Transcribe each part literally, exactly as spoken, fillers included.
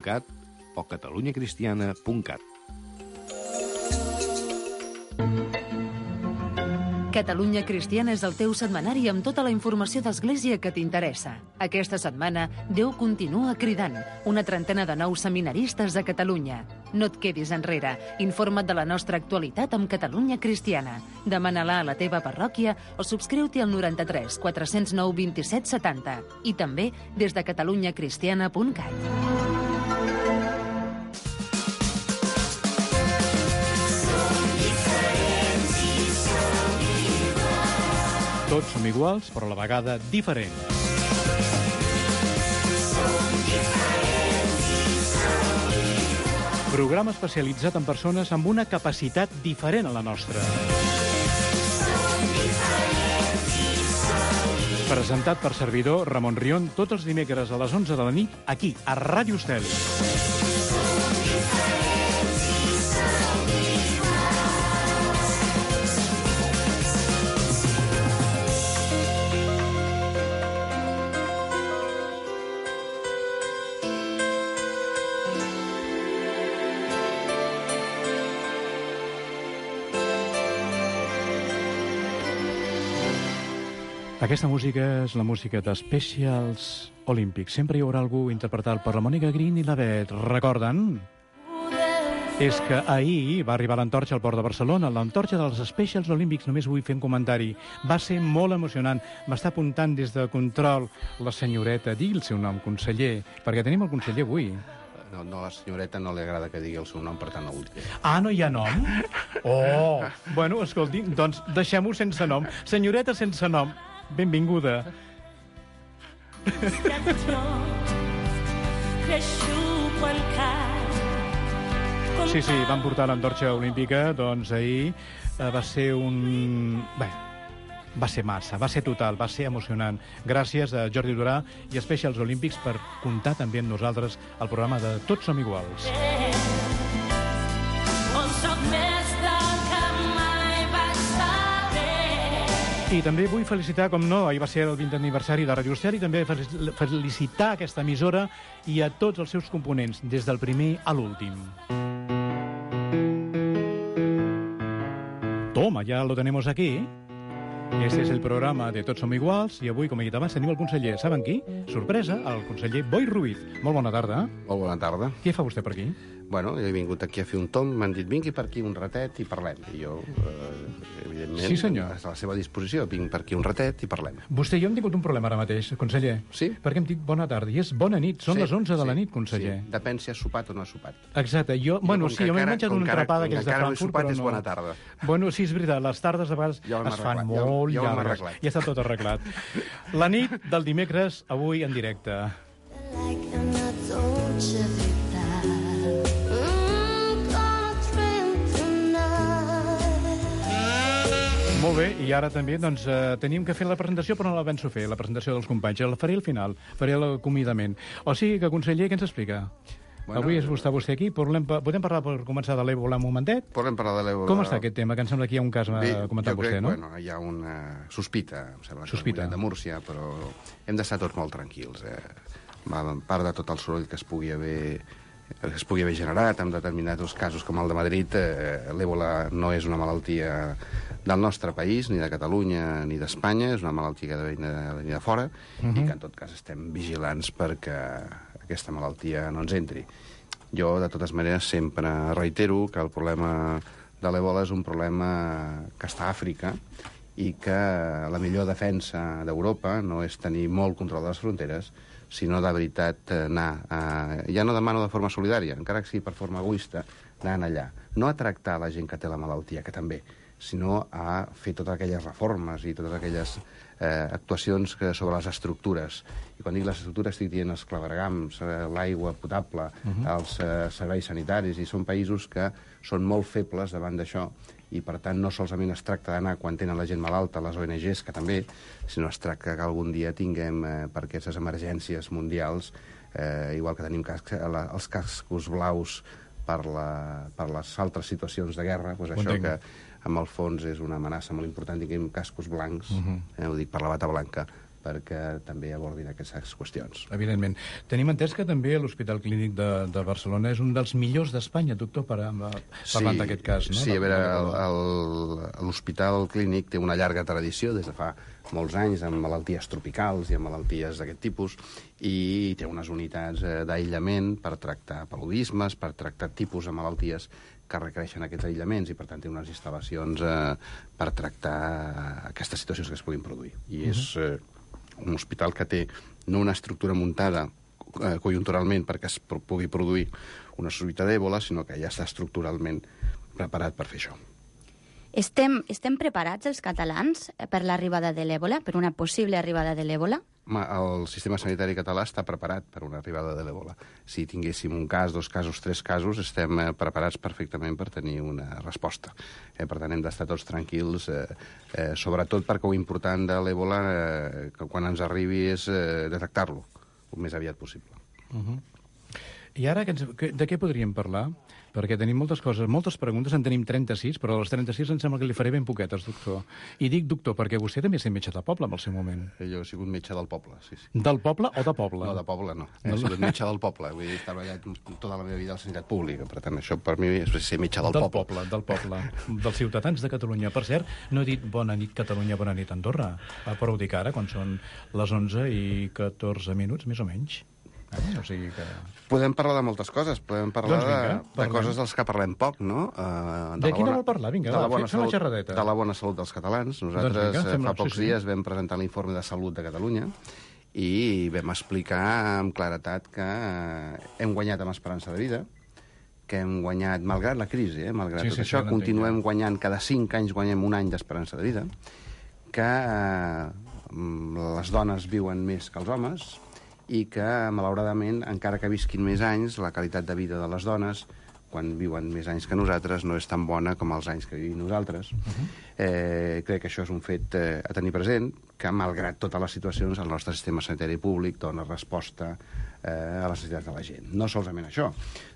cat o catalunya cristiana punt cat. Catalunya Cristiana és el teu setmanari amb tota la informació d'Església que t'interessa. Aquesta setmana, Déu continua cridant. Una trentena de nous seminaristes a Catalunya. No et quedis enrere. Informa't de la nostra actualitat amb Catalunya Cristiana. Demana-la a la teva parròquia o subscriu-t'hi al noranta-tres quatre cents nou vint-i-set setanta. I també des de catalunya cristiana punt cat. Tots som iguals, però a la vegada diferents. Programa especialitzat en persones amb una capacitat diferent a la nostra. Presentat per servidor Ramon Rion tots els dimecres a les onze de la nit, aquí, a Ràdio Estel. Aquesta música és la música de Specials Olímpics. Sempre hi haurà algú interpretat per la Mònica Green i la Bet. Recorden? És que ahir va arribar l'antorxa al port de Barcelona, l'antorxa dels Specials Olímpics. Només vull fer un comentari. Va ser molt emocionant. M'està apuntant des de control la senyoreta. Digui el seu nom, conseller, perquè tenim el conseller avui. No, no, a la senyoreta no li agrada que digui el seu nom, per tant no ho diré. Ah, no hi ha nom? Oh! Bueno, escolti, doncs deixem-ho sense nom. Senyoreta sense nom. Benvinguda. Sí, sí, van portar l'antorxa olímpica, doncs ahir eh, va ser un... Bé, va ser massa, va ser total, va ser emocionant. Gràcies a Jordi Durà i a Specials Olímpics per comptar també amb nosaltres al programa de Tots som iguals. I també vull felicitar, com no, ahir va ser el vintè aniversari de Ràdio Estel, i també felicitar aquesta emissora i a tots els seus components, des del primer a l'últim. Toma, ya lo tenemos aquí. Este es el programa de Tots som iguals, i avui, com he dit abans, tenim el conseller. Saben qui? Sorpresa, el conseller Boi Ruiz. Molt bona tarda. Molt bona tarda. Què fa vostè per aquí? Bueno, jo he vingut aquí a fer un tom, m'han dit, vingui per aquí un ratet i parlem. I jo, eh, evidentment, sí, senyor. a la seva disposició, vinc per aquí un ratet i parlem. Vostè i jo hem tingut un problema ara mateix, conseller. Sí? Perquè hem dit bona tarda, i és bona nit, són sí, les onze de sí, la nit, conseller. Sí. Depèn si has sopat o no has sopat. Exacte, jo... I bueno, com sí, jo m'he encara- menjat com una encara- atrapada com que és de encara no he Frankfurt, sopat, però és no... bona tarda. Bueno, sí, és veritat, les tardes a vegades Ja ho hem es fan arreglat, ja ho- molt ja ho hem llargues. arreglat. Ja està tot arreglat. La nit del dimecres, avui en directe. Molt bé, i ara també doncs, eh, teníem que fer la presentació, però no la penso fer, la presentació dels companys. La faré al final, faré l'acomiadament. O sigui que, conseller, què ens explica? Bueno, avui és vostè, vostè aquí. Podem, podem parlar per començar de l'Ebola un momentet? Podem parlar de l'Ebola. Com està aquest tema? Que em sembla que hi ha un cas, m'ha comentat vostè, crec, no? Bueno, hi ha una sospita, em sembla, sospita. de Múrcia, però hem d'estar tots molt tranquils. Eh? A part de tot el soroll que es pugui haver que es pugui haver generat en determinats casos com el de Madrid, eh, l'Ebola no és una malaltia del nostre país, ni de Catalunya ni d'Espanya, és una malaltia que ha de venir de fora, uh-huh. i que en tot cas estem vigilants perquè aquesta malaltia no ens entri. Jo, de totes maneres, sempre reitero que el problema de l'Ebola és un problema que està a Àfrica i que la millor defensa d'Europa no és tenir molt control de les fronteres, sinó de veritat anar, a, ja no demano de forma solidària, encara que sigui per forma egoista, anant allà. No a tractar la gent que té la malaltia, que també, sinó a fer totes aquelles reformes i totes aquelles eh, actuacions que, sobre les estructures. I quan dic les estructures estic dient els claveguams, eh, l'aigua potable, uh-huh. els eh, serveis sanitaris, i són països que són molt febles davant d'això, i per tant no solament es tracta d'anar quan tenen la gent malalta, les O N Ges, que també, sinó es tracta que algun dia tinguem eh, per aquestes emergències mundials, eh, igual que tenim cascs, la, els cascos blaus per, la, per les altres situacions de guerra, doncs això que en el fons és una amenaça molt important, tinguem cascos blancs, uh-huh. eh, ho dic per la bata blanca, perquè també abordin aquestes qüestions. Evidentment. Tenim entès que també l'Hospital Clínic de, de Barcelona és un dels millors d'Espanya, doctor, per, parlant sí, d'aquest cas, no? Sí, a veure, l'Hospital Clínic té una llarga tradició des de fa molts anys amb malalties tropicals i amb malalties d'aquest tipus, i té unes unitats d'aïllament per tractar paludismes, per tractar tipus de malalties que requereixen aquests aïllaments, i per tant té unes instal·lacions eh, per tractar aquestes situacions que es puguin produir. I uh-huh. és eh, un hospital que té no una estructura muntada eh, conjunturalment perquè es pugui produir una sospita d'èbola, sinó que ja està estructuralment preparat per fer això. Estem, estem preparats, els catalans, per l'arribada de l'èbola, per una possible arribada de l'èbola? El sistema sanitari català està preparat per una arribada de l'èbola. Si tinguéssim un cas, dos casos, tres casos, estem preparats perfectament per tenir una resposta. Eh, per tant, hem d'estar tots tranquils, eh, eh, sobretot perquè ho important de l'èbola, eh, que quan ens arribi, és eh, detectar-lo el més aviat possible. Uh-huh. I ara, de què podríem parlar? Perquè tenim moltes coses, moltes preguntes, en tenim trenta-sis, però a les trenta-sis em sembla que li faré ben poquetes, doctor. I dic doctor perquè vostè també és metge de poble, en el seu moment. Jo he sigut metge del poble, sí, sí. Del poble o de poble? No, de poble no. He sigut metge del poble. Vull dir, he treballat tota la meva vida a la sanitat pública. Per tant, això per mi és ser metge del, del poble. poble. Del poble, dels ciutadans de Catalunya. Per cert, no he dit bona nit Catalunya, bona nit Andorra. Però ho dic ara, quan són les onze i catorze minuts, més o menys. Eh? O sigui que... Podem parlar de moltes coses. Podem parlar doncs vinga, de, de coses dels que parlem poc, no? Uh, de, de quina vol parlar? Vinga, de la va, bona fem salut, la xerradeta. De la bona salut dels catalans. Nosaltres doncs vinga, fa pocs sí, dies sí. vam presentar l'informe de salut de Catalunya i vam explicar amb claretat que hem guanyat amb esperança de vida, que hem guanyat, malgrat la crisi, eh, malgrat sí, tot sí, això, sí, continuem entenc. guanyant, cada cinc anys guanyem un any d'esperança de vida, que eh, les dones viuen més que els homes, i que, malauradament, encara que visquin més anys, la qualitat de vida de les dones, quan viuen més anys que nosaltres, no és tan bona com els anys que vivim nosaltres. Uh-huh. eh, crec que això és un fet eh, a tenir present, que, malgrat totes les situacions, el nostre sistema sanitari públic dona resposta eh, a les necessitats de la gent. No solament això,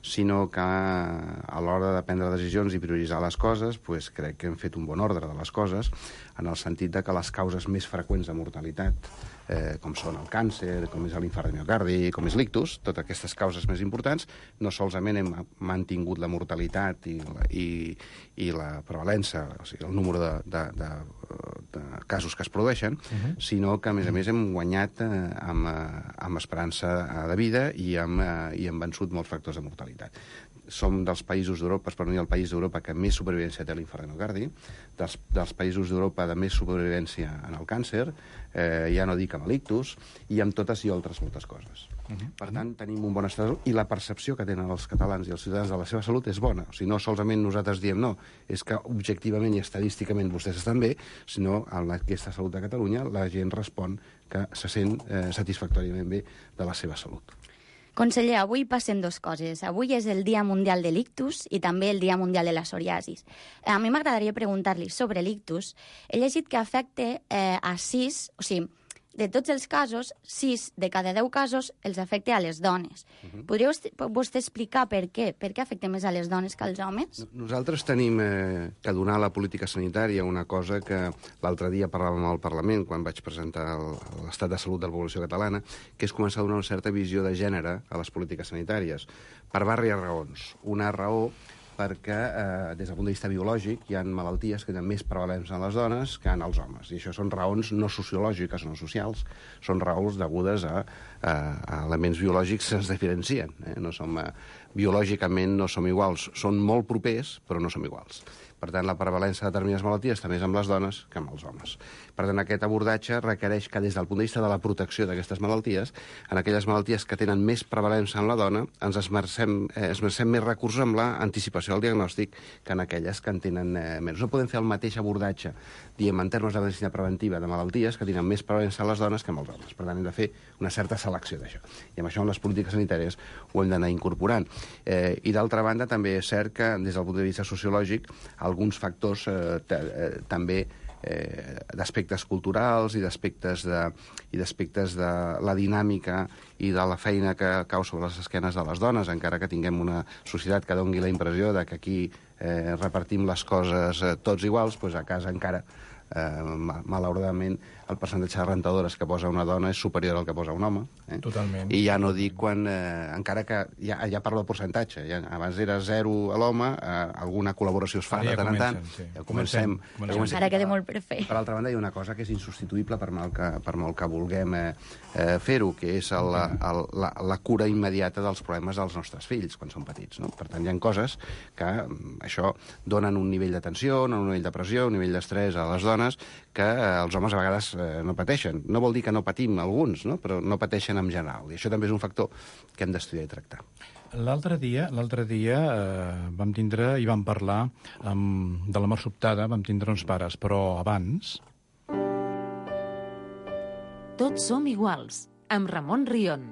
sinó que a l'hora de prendre decisions i prioritzar les coses, pues, crec que hem fet un bon ordre de les coses, en el sentit de que les causes més freqüents de mortalitat, eh, com són el càncer, com és l'infart de miocardi, com és l'ictus, totes aquestes causes més importants, no solament hem mantingut la mortalitat i la, i, i la prevalença, o sigui, el número de, de, de, de casos que es produeixen, uh-huh. sinó que, a més a més, hem guanyat eh, amb, amb esperança de vida i hem, eh, i hem vençut molts factors de mortalitat. Som dels països d'Europa, per no dir el país d'Europa que més supervivència té l'infart de miocardi, dels, dels països d'Europa de més supervivència en el càncer, eh, ja no dic amb l'ictus, i amb totes i altres moltes coses. Uh-huh. Per tant, tenim un bon estat de salut, i la percepció que tenen els catalans i els ciutadans de la seva salut és bona. O sigui, no solament nosaltres diem no, és que objectivament i estadísticament vostès estan bé, sinó en aquesta salut de Catalunya la gent respon que se sent eh, satisfactòriament bé de la seva salut. Conseller, avui passen dues coses. Avui és el Dia Mundial de l'Ictus i també el Dia Mundial de la Psoriasis. A mi m'agradaria preguntar-li sobre l'ictus. He llegit que afecta eh, a sis, o sigui, de tots els casos, sis de cada deu casos els afecta a les dones. Uh-huh. Podria vostè explicar per què? Per què afecta més a les dones que als homes? Nosaltres tenim eh, que donar a la política sanitària una cosa que l'altre dia parlàvem al Parlament, quan vaig presentar l'estat de salut de la població catalana, que és començar a donar una certa visió de gènere a les polítiques sanitàries, per diverses raons. Una raó perquè, eh, des del punt de vista biològic, hi ha malalties que tenen més prevalència en les dones que en els homes. I això són raons no sociològiques, no socials, són raons degudes a, a, a elements biològics que ens diferencien. Eh? No som, eh, biològicament no som iguals. Són molt propers, però no som iguals. Per tant, la prevalència de determinades malalties està més amb les dones que amb els homes. Per tant, aquest abordatge requereix que, des del punt de vista de la protecció d'aquestes malalties, en aquelles malalties que tenen més prevalència en la dona, ens esmercem, eh, esmercem més recursos en l'anticipació del diagnòstic que en aquelles que en tenen eh, menys. No podem fer el mateix abordatge, diem, en termes de medicina preventiva de malalties que tenen més prevalència en les dones que en els homes. Per tant, hem de fer una certa selecció d'això. I amb això, en les polítiques sanitàries, ho hem d'anar incorporant. Eh, I, d'altra banda, també és cert que, des del punt de vista sociològic, alguns factors eh, eh, també eh, d'aspectes culturals i d'aspectes de, i d'aspectes de la dinàmica i de la feina que cau sobre les esquenes de les dones, encara que tinguem una societat que doni la impressió de que aquí eh, repartim les coses eh, tots iguals, doncs a casa encara eh, malauradament el percentatge de rentadores que posa una dona és superior al que posa un home. Eh? Totalment. I ja no dic quan... Eh, encara que ja, ja parlo de percentatge. Ja, abans era zero a l'home, eh, alguna col·laboració es fa Ara de ja tant en tant. comencen, sí. Ja comencem. Comencem. Ja comencem. Ara queda molt per fer. Per altra banda, hi ha una cosa que és insubstituïble per molt que, per molt que vulguem eh, eh, fer-ho, que és el, el, la, la cura immediata dels problemes dels nostres fills quan són petits. No? Per tant, hi ha coses que això donen un nivell de tensió, un nivell de pressió, un nivell d'estrès a les dones que eh, els homes a vegades eh, no pateixen. No vol dir que no patim alguns, no? Però no pateixen en general. I això també és un factor que hem d'estudiar i tractar. L'altre dia, l'altre dia eh, vam tindre i vam parlar amb, de la mort sobtada, vam tindre uns pares, però abans... Tots som iguals, amb Ramon Rion.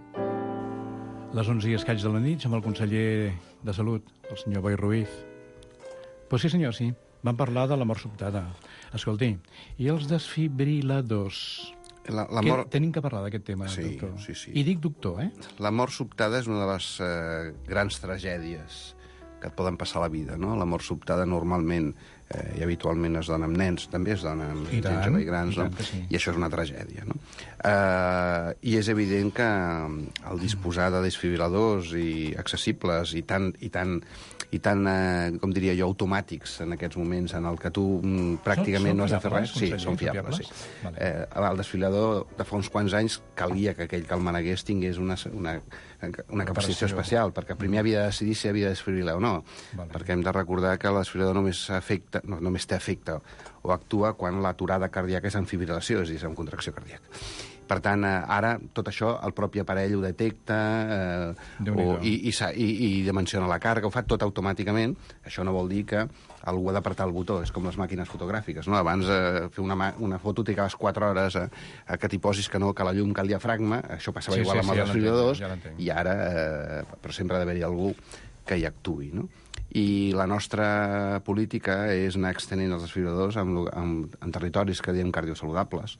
Les onze i escaig de la nit, amb el conseller de Salut, el senyor Boi Ruiz. Pues sí, senyor, sí. Vam parlar de la mort sobtada. Escolti, i els desfibriladors? La, la que mort... Tenim que parlar d'aquest tema, sí, doctor. Sí, sí. I dic doctor, eh? La mort sobtada és una de les eh, grans tragèdies que et poden passar a la vida, no? La mort sobtada normalment eh, i habitualment es dona amb nens, també es dona amb I gent tant, jove i grans, i tant no? que sí. I això és una tragèdia, no? Eh, I és evident que el disposar de desfibriladors i accessibles i tan, i tan, i tan eh, com diria jo, automàtics en aquests moments en el que tu mm, pràcticament Són- són no has de fer fiables, res. Sí, conseller, són són fiables, fiables? sí. Vale. Eh, el desfibrilador de fa uns quants anys calia que aquell que el manegués tingués una, una, una capacitació Operació. especial, perquè primer havia de decidir si havia de desfibrilar o no. Vale. Perquè hem de recordar que el desfibrilador només, afecta, no, només té efecte o actua quan l'aturada cardíaca és en fibrilació, és a dir, és en contracció cardíaca. Per tant, eh, ara tot això el propi aparell ho detecta eh, o, i, i, i, i dimensiona la càrrega, ho fa tot automàticament. Això no vol dir que algú ha d'apretar el botó, és com les màquines fotogràfiques, no? Abans eh, fer una, una foto trigaves quatre hores a, a que t'hi posis que no, que la llum cal diafragma, això passava Sí, igual sí, amb sí, els ja desfibriladors, l'entenc, ja l'entenc. i ara, eh, però sempre ha d'haver-hi algú que hi actuï, no? I la nostra política és anar extenent els desfibriladors en, en, en territoris que diem cardiosaludables.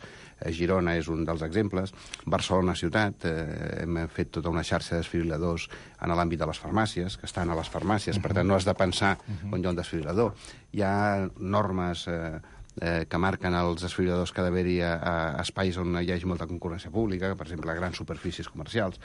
Eh, Girona és un dels exemples. Barcelona ciutat, eh, hem fet tota una xarxa de desfibriladors en l'àmbit de les farmàcies, que estan a les farmàcies, per tant no has de pensar on hi ha un desfibrilador. Hi ha normes eh, eh, que marquen els desfibriladors que ha d'haver-hi a, a espais on hi hagi molta concurrència pública, per exemple, a grans superfícies comercials.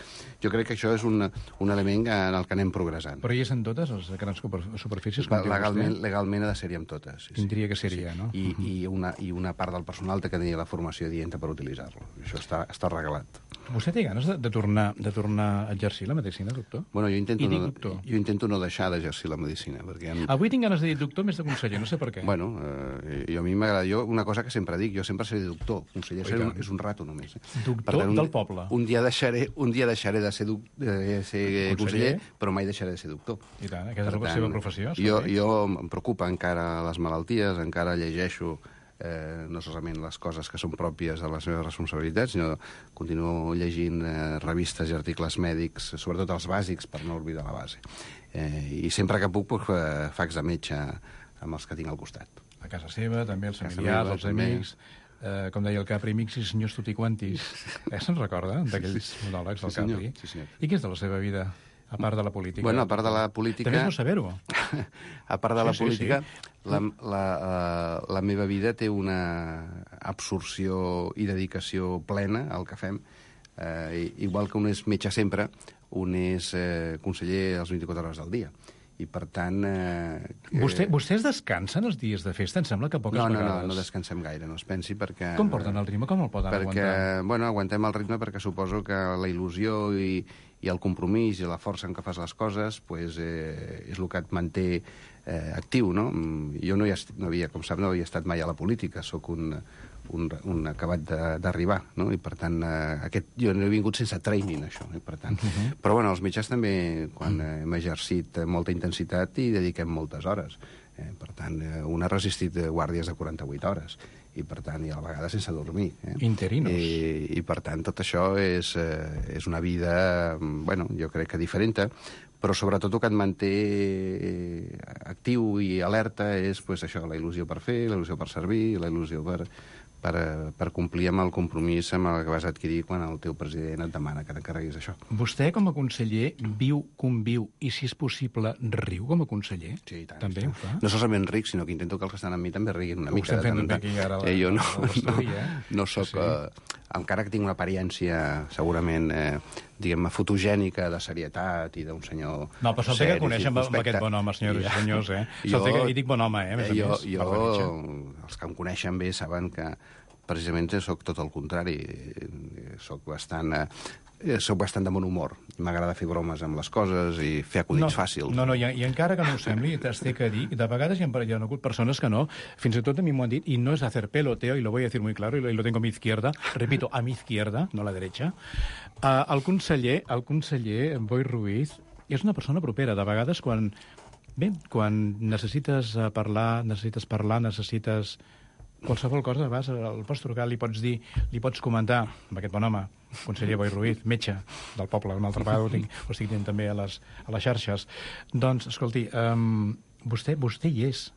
Jo crec que això és un, un element en el que anem progressant. Però hi és en totes, les grans super- superfícies? com diu Legalment, vostè? legalment ha de ser-hi amb totes. Sí, sí. Tindria que ser-hi, no? I, i, una, I una part del personal té que tenir la formació adienta per utilitzar-lo. Això està, està regalat. Vostè té ganes de, de, tornar, de tornar a exercir la medicina, doctor? Bueno, jo intento, I dic no, doctor. jo intento no deixar d'exercir la medicina, perquè... Em... Avui tinc ganes de dir doctor més de conseller, no sé per què. Bueno, eh, jo a mi m'agrada... Jo, una cosa que sempre dic, jo sempre seré doctor. Conseller Oh, i ser un, tant. és un rato només. Eh? Doctor un, del poble. Un dia deixaré, un dia deixaré de ser, duc, de ser conseller. Conseller, però mai deixaré de ser doctor. I tant, aquesta Per és la seva professió. Jo, escolti. jo em preocupa encara les malalties, encara llegeixo eh, no solament les coses que són pròpies de les meves responsabilitats, sinó continuo llegint eh, revistes i articles mèdics, sobretot els bàsics, per no oblidar la base. Eh, I sempre que puc, pues, eh, faig de metge amb els que tinc al costat. A casa seva, també els A casa familiars, meva, els també. amics, eh, com deia el Capri, amics i senyors tutti quantis. Eh, se'n recorda, d'aquells monòlegs del Sí, senyor. Capri? Sí, senyor. I què és de la seva vida, a part de la política? Bueno, a part de la política... També és no saber-ho. A part de la Sí, sí, política, sí. la, la, uh, la meva vida té una absorció i dedicació plena al que fem. Uh, igual que un és metge sempre, un és uh, conseller les vint-i-quatre hores del dia. I, per tant... Eh, Vostè, vostès descansen els dies de festa? Em sembla que poques no, no, vegades. no, no descansem gaire, no es pensi, perquè... Com porten el ritme? Com el poden perquè, aguantar? bueno, aguantem el ritme perquè suposo que la il·lusió i, i el compromís i la força en què fas les coses pues, eh, és el que et manté eh, actiu, no? Jo no, hi est, no havia, com sap, no havia estat mai a la política, sóc un, un, un acabat d'arribar, no? I per tant, eh, aquest, jo no he vingut sense training, això, i per tant... Uh -huh. Però bueno, els metges també, quan eh, hem exercit molta intensitat, hi dediquem moltes hores. Eh, per tant, eh, un ha resistit guàrdies de quaranta-vuit hores, i per tant, i a la vegada sense dormir. Eh? Interinos. I, I per tant, tot això és, eh, és una vida, bueno, jo crec que diferent, però sobretot el que et manté actiu i alerta és pues, això, la il·lusió per fer, la il·lusió per servir, la il·lusió per, per, per complir amb el compromís amb el que vas adquirir quan el teu president et demana que t'encarreguis això. Vostè, com a conseller, viu, conviu i, si és possible, riu com a conseller? Sí, i tant. També ho fa? No solament ric, sinó que intento que els que estan amb mi també riguin una Ho mica. estem fent també aquí ara. La, eh, jo no, no, eh? no soc... Sí. Eh, encara que tinc una apariència, segurament, eh, diguem-ne, fotogènica de serietat i d'un senyor... No, però se'l té que conèixer amb, amb aquest bon home, senyores i senyors, eh? Se'l té que... I dic bon home, eh, a més a jo, més. Jo, els que em coneixen bé saben que precisament sóc tot el contrari. Soc bastant... Eh, soc bastant de bon humor. M'agrada fer bromes amb les coses i fer acudits no, fàcils. No, no, i, i encara que no ho sembli, t'has té que dir, de vegades hi ha, hi ha hagut persones que no, fins i tot a mi m'ho han dit, i no és hacer peloteo, y lo voy a decir muy claro, y lo, y lo tengo a mi izquierda, repito, a mi izquierda, no a la derecha. Uh, el conseller, el conseller Boi Ruiz, és una persona propera. De vegades, quan, bé, quan necessites parlar, necessites parlar, necessites qualsevol cosa, vas, el pots trucar, li pots dir, li pots comentar, amb aquest bon home, conseller Boi Ruiz, metge del poble, una altra vegada ho, tinc, ho estic dient també a les, a les xarxes. Doncs, escolti, um, vostè, vostè hi és.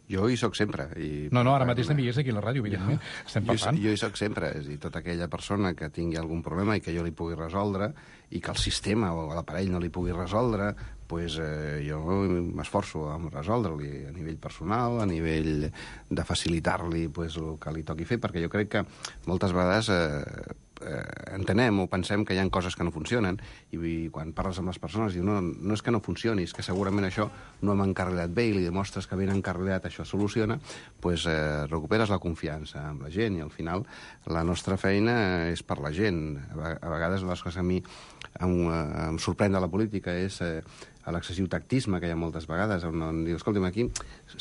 Jo hi soc sempre. I, no, no, ara mateix també hi és aquí a la ràdio, evidentment. Jo, estem parlant. Jo, jo hi soc sempre. És a dir, tota aquella persona que tingui algun problema i que jo li pugui resoldre i que el sistema o l'aparell no li pugui resoldre, pues, eh, jo m'esforço a resoldre-li a nivell personal, a nivell de facilitar-li pues, el que li toqui fer, perquè jo crec que moltes vegades eh, eh, entenem o pensem que hi ha coses que no funcionen i, i quan parles amb les persones dius no, no és que no funcioni, és que segurament això no hem encarrilat bé i li demostres que ben encarrilat això soluciona, pues, eh, recuperes la confiança amb la gent i al final la nostra feina és per la gent. A vegades les coses a mi em, em sorprèn de la política és eh, l'excessiu tactisme que hi ha moltes vegades, on, on diu, escolta'm, aquí,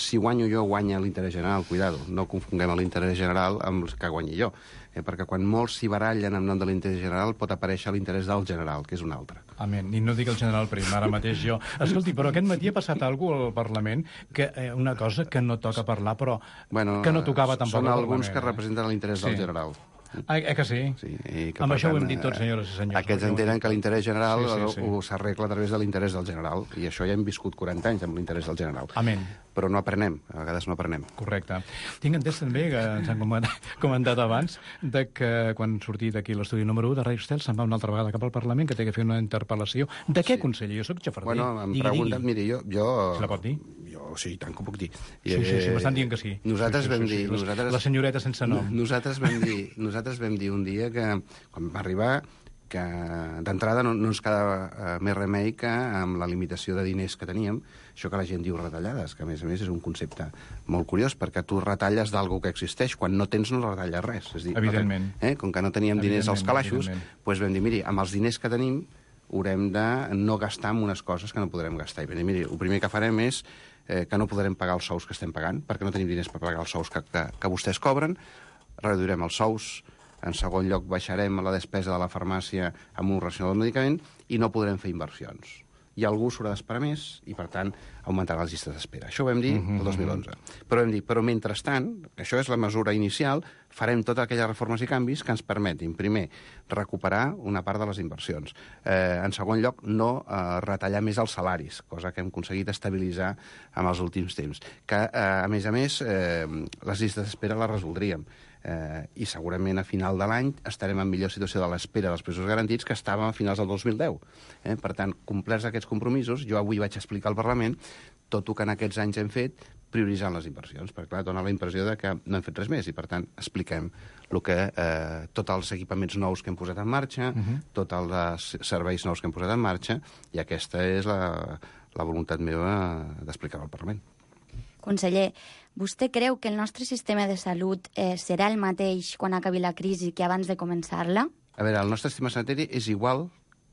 si guanyo jo, guanya l'interès general, cuidado, no confonguem l'interès general amb el que guanyi jo, eh, perquè quan molts s'hi barallen en nom de l'interès general pot aparèixer l'interès del general, que és un altre. Amén. I no dic el general Prim, ara mateix jo. Escolti, però aquest matí ha passat alguna cosa al Parlament, que eh, una cosa que no toca parlar, però bueno, que no tocava tampoc al Parlament. Són eh? alguns que representen l'interès sí. del general. Ah, eh que sí? Sí, i que, amb això tant, ho hem dit tots, senyores i senyors. Aquests entenen que l'interès general sí, sí, sí. s'arregla a través de l'interès del general, i això ja hem viscut quaranta anys amb l'interès del general. Amén. Però no aprenem, a vegades no aprenem. Correcte. Tinc entès també, que ens han comentat abans, de que quan sortí d'aquí l'estudi número u de Ràdio Estel se'n va una altra vegada cap al Parlament, que té que fer una interpel·lació. De què, sí. conseller? Jo soc xafarder. Bueno, em digui, pregunten, digui. miri, jo... jo... Se la pot dir? Jo, sí, tant que ho puc dir. Sí, sí, sí, m'estan dient que sí. Nosaltres sí, sí, vam sí, dir... sí. Nosaltres, la senyoreta sense nom. Nosaltres vam dir, nosaltres vam dir un dia que, quan va arribar, que d'entrada no, no ens quedava uh, més remei que amb la limitació de diners que teníem, això que la gent diu retallades, que a més a més és un concepte molt curiós, perquè tu retalles d'algú que existeix, quan no tens no retalles res. És dir, evidentment. No, eh, com que no teníem diners als calaixos, doncs vam dir, miri, amb els diners que tenim haurem de no gastar en unes coses que no podrem gastar. I vam dir, miri, el primer que farem és eh, que no podrem pagar els sous que estem pagant, perquè no tenim diners per pagar els sous que, que, que vostès cobren, reduirem els sous. En segon lloc, baixarem la despesa de la farmàcia amb un racional del medicament i no podrem fer inversions. I algú s'haurà d'esperar més i, per tant, augmentarà les llistes d'espera. Això ho vam dir el dos mil onze. Però vam dir, però mentrestant, això és la mesura inicial, farem totes aquelles reformes i canvis que ens permetin, primer, recuperar una part de les inversions. Eh, en segon lloc, no eh, retallar més els salaris, cosa que hem aconseguit estabilitzar en els últims temps. Que, eh, a més a més, eh, les llistes d'espera les resoldríem. Eh, i segurament a final de l'any estarem en millor situació de l'espera dels presos garantits que estàvem a finals del dos mil deu. Eh? Per tant, complerts aquests compromisos, jo avui vaig explicar al Parlament tot el que en aquests anys hem fet prioritzant les inversions, perquè clar, dona la impressió de que no hem fet res més i per tant expliquem el que, eh, tots els equipaments nous que hem posat en marxa, uh -huh. tots els serveis nous que hem posat en marxa, i aquesta és la, la voluntat meva d'explicar al Parlament. Conseller, vostè creu que el nostre sistema de salut eh, serà el mateix quan acabi la crisi que abans de començar-la? A veure, el nostre sistema sanitari és igual,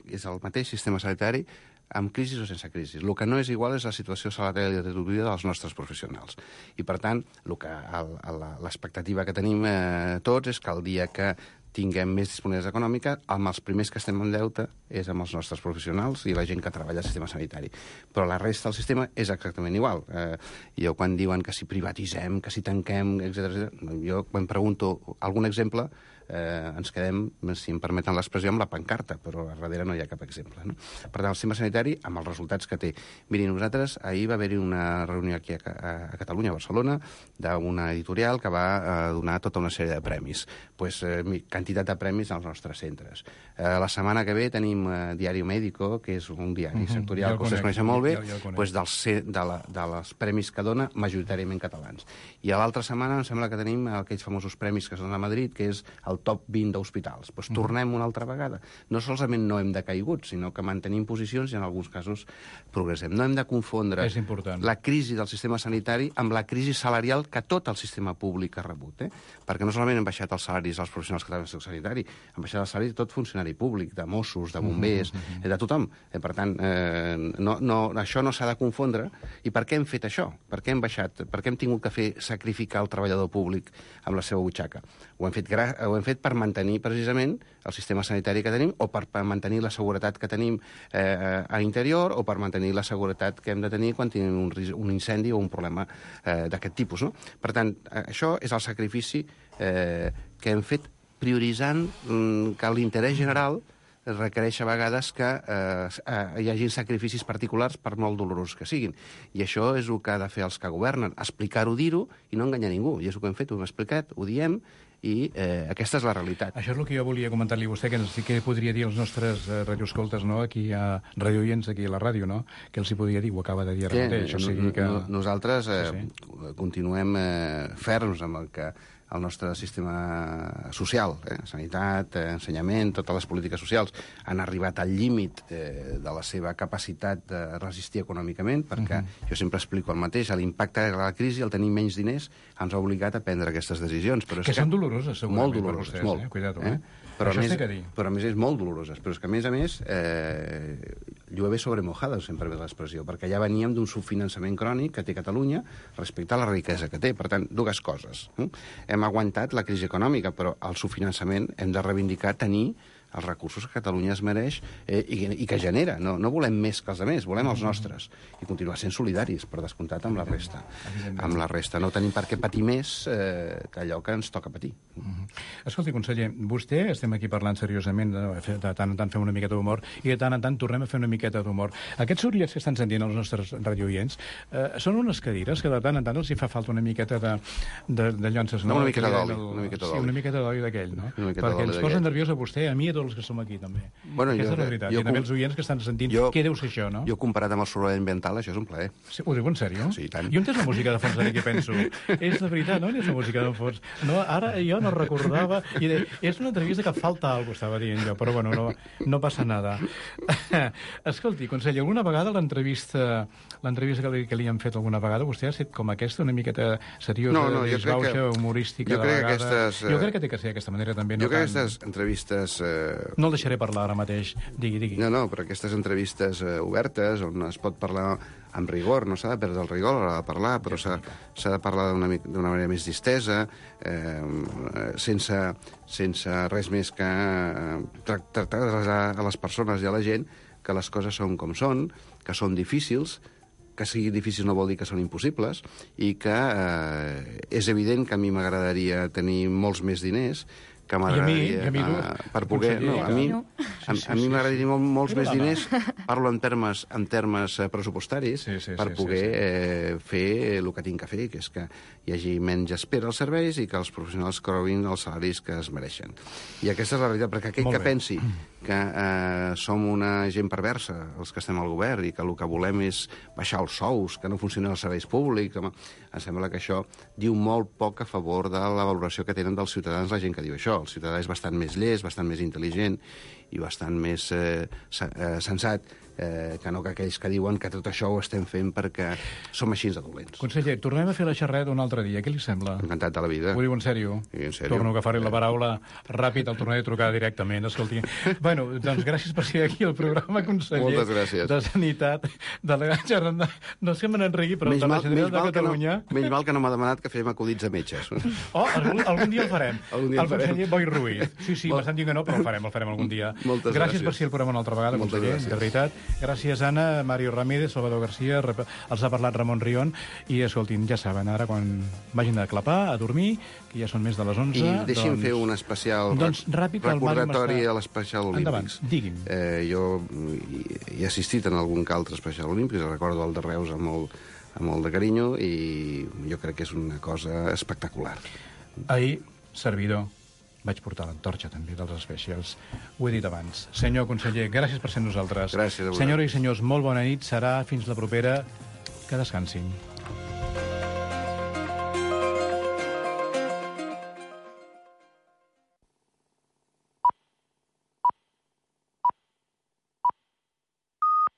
és el mateix sistema sanitari amb crisi o sense crisi. El que no és igual és la situació salarial i retributiva dels nostres professionals. I, per tant, l'expectativa que tenim eh, tots és que el dia que tinguem més disponibilitat econòmica, amb els primers que estem en deute és amb els nostres professionals i la gent que treballa al sistema sanitari. Però la resta del sistema és exactament igual. Eh, jo, quan diuen que si privatitzem, que si tanquem, etcètera, jo quan pregunto algun exemple, eh, ens quedem, si em permeten l'expressió, amb la pancarta, però a darrere no hi ha cap exemple. No? Per tant, el sistema sanitari, amb els resultats que té. Miri, nosaltres, ahir va haver-hi una reunió aquí a, a, a Catalunya, a Barcelona, d'una editorial que va eh, donar tota una sèrie de premis. Pues, eh, quantitat de premis als nostres centres. Eh, la setmana que ve tenim eh, Diario Médico, que és un diari uh-huh. sectorial que vostès coneixen molt bé, ja, ja pues, dels, de, la, de les premis que dona majoritàriament catalans. I a l'altra setmana em sembla que tenim aquells famosos premis que són a Madrid, que és el top vint d'hospitals. Pues, uh-huh. Tornem una altra vegada. No solament no hem decaigut, sinó que mantenim posicions i en alguns casos progressem. No hem de confondre la crisi del sistema sanitari amb la crisi salarial que tot el sistema públic ha rebut. Eh? Perquè no solament han baixat els salaris dels professionals que treballen en el sector sanitari, han baixat els salaris de tot funcionari públic, de Mossos, de bombers, uh-huh, uh-huh. de tothom. Eh, per tant, eh, no, no, això no s'ha de confondre. I per què hem fet això? Per què hem baixat? Per què hem tingut que fer sacrificar el treballador públic amb la seva butxaca? Ho hem fet, gra- ho hem fet per mantenir precisament el sistema sanitari que tenim o per, per mantenir la seguretat que tenim eh, a l'interior o per mantenir la seguretat que hem de tenir quan tenim un, un incendi o un problema eh, d'aquest tipus. No? Per tant, això és el sacrifici eh, que hem fet prioritzant mm, que l'interès general requereix a vegades que eh, hi hagi sacrificis particulars per molt dolorosos que siguin. I això és el que ha de fer els que governen, explicar-ho, dir-ho i no enganyar ningú. I és el que hem fet, ho hem explicat, ho diem, i eh, aquesta és la realitat. Això és el que jo volia comentar-li a vostè, que sí que podria dir als nostres eh, radioescoltes, no? Aquí a radioients, aquí a la ràdio, no? Que els hi podria dir, ho acaba de dir ara mateix. O sigui que... Nosaltres eh, sí, sí. continuem eh, ferms amb el que el nostre sistema social, eh, sanitat, eh, ensenyament, totes les polítiques socials han arribat al límit eh, de la seva capacitat de resistir econòmicament, perquè uh-huh. jo sempre explico el mateix, l'impacte de la crisi, el tenir menys diners, ens ha obligat a prendre aquestes decisions. Però que, que són doloroses, segurament, molt doloroses, per vostès, molt. Eh? Cuidado, eh? eh? Però, això a més, té que dir. però a més és molt doloroses. Però és que a més a més eh, llueve sobre mojada, sempre ve l'expressió, perquè ja veníem d'un subfinançament crònic que té Catalunya respecte a la riquesa que té. Per tant, dues coses. Eh? Hem aguantat la crisi econòmica, però el subfinançament hem de reivindicar tenir els recursos que Catalunya es mereix eh, i, i que genera. No, no volem més que els altres, volem els nostres. I continuar sent solidaris, per descomptat, amb la resta. Amb la resta. No tenim per què patir més eh, que allò que ens toca patir. Uh-huh. Escolti, conseller, vostè, estem aquí parlant seriosament, de, de tant en tant fem una miqueta d'humor, i de tant en tant tornem a fer una miqueta d'humor. Aquests sorolls que estan sentint els nostres radioients eh, són unes cadires que de tant en tant els hi fa falta una miqueta de, de, de llonces. No, una miqueta d'oli. Una miqueta d'oli. Sí, una miqueta d'oli d'aquell, no? Perquè ens posa nerviós a vostè, a mi i a tots els que som aquí, també. Bueno, Aquesta jo, és la veritat. Jo, I també els oients que estan sentint jo, què deu ser això, no? Jo, comparat amb el soroll ambiental, això és un plaer. Sí, ho diu en sèrio? Sí, tant. Jo entès la música de fons aquí, penso. És la veritat, no? És la música de fons. No, ara jo no recordava... I de, és una entrevista que falta alguna cosa, estava dient jo, però bueno, no, no passa nada. Escolti, conseller, alguna vegada l'entrevista l'entrevista que li, que li han fet alguna vegada, vostè ha estat com aquesta, una miqueta seriosa, no, no, disbauxa, que, humorística, jo de crec vegades... Aquestes, jo crec que té que ser d'aquesta manera, també. Jo no crec tant... que aquestes entrevistes... Eh... No el deixaré parlar ara mateix. Digui, digui. No, no, però aquestes entrevistes eh, obertes, on es pot parlar amb rigor, no s'ha de perdre el rigor a l'hora de parlar, però s'ha de parlar d'una manera més distesa, eh, sense, sense res més que eh, tractar a les persones i a la gent que les coses són com són, que són difícils, que sigui difícil no vol dir que són impossibles, i que eh, és evident que a mi m'agradaria tenir molts més diners, que m'agradaria uh, per poder... No, a mi, a, a mi m'agradaria molt, molts més diners, parlo en termes, en termes pressupostaris, sí, sí, per sí, poder sí, sí. Eh, fer el que tinc que fer, que és que hi hagi menys espera als serveis i que els professionals cobrin els salaris que es mereixen. I aquesta és la realitat, perquè aquell que pensi que eh, som una gent perversa, els que estem al govern, i que el que volem és baixar els sous, que no funcionen els serveis públics, home, em sembla que això diu molt poc a favor de la valoració que tenen dels ciutadans la gent que diu això. El ciutadà és bastant més llest, bastant més intel·ligent i bastant més eh, sensat eh, que no que aquells que diuen que tot això ho estem fent perquè som així de dolents. Conseller, tornem a fer la xerrada un altre dia. Què li sembla? Encantat de la vida. Ho diu en sèrio? Sí, en sèrio. Torno a agafar-li la paraula ràpid, el tornaré a trucar directament. Escolti, bueno, doncs gràcies per ser aquí al programa, conseller. Moltes gràcies. De Sanitat, delegat general, no sé que me n'enregui, però menys de la mal, Generalitat de Catalunya... No, menys mal que no m'ha demanat que fem acudits a metges. Oh, algun, algun dia el farem. Algun dia el, el conseller Boi Ruiz. Sí, sí, Molt... m'estan dient que no, però el farem, el farem algun dia. Moltes gràcies gràcies per ser al programa una altra vegada, Moltes conseller, gràcies. de veritat. Gràcies, Anna, Mario Ramírez, Salvador García, rep- els ha parlat Ramon Rion, i escoltin, ja saben, ara quan vagin a clapar, a dormir, que ja són més de les onze... I deixi'm doncs... fer un especial doncs, ràpid, el recordatori Màrius està- a l'especial Endavant, olímpics. digui'm. Eh, jo hi he assistit en algun que altre especial olímpics, recordo el de Reus amb molt, amb molt de carinyo, i jo crec que és una cosa espectacular. Ahir, servidor, vaig portar l'antorxa també dels especials. Ho he dit abans. Senyor conseller, gràcies per ser nosaltres. Gràcies a vosaltres. Senyores i senyors, molt bona nit. Serà fins la propera. Que descansin.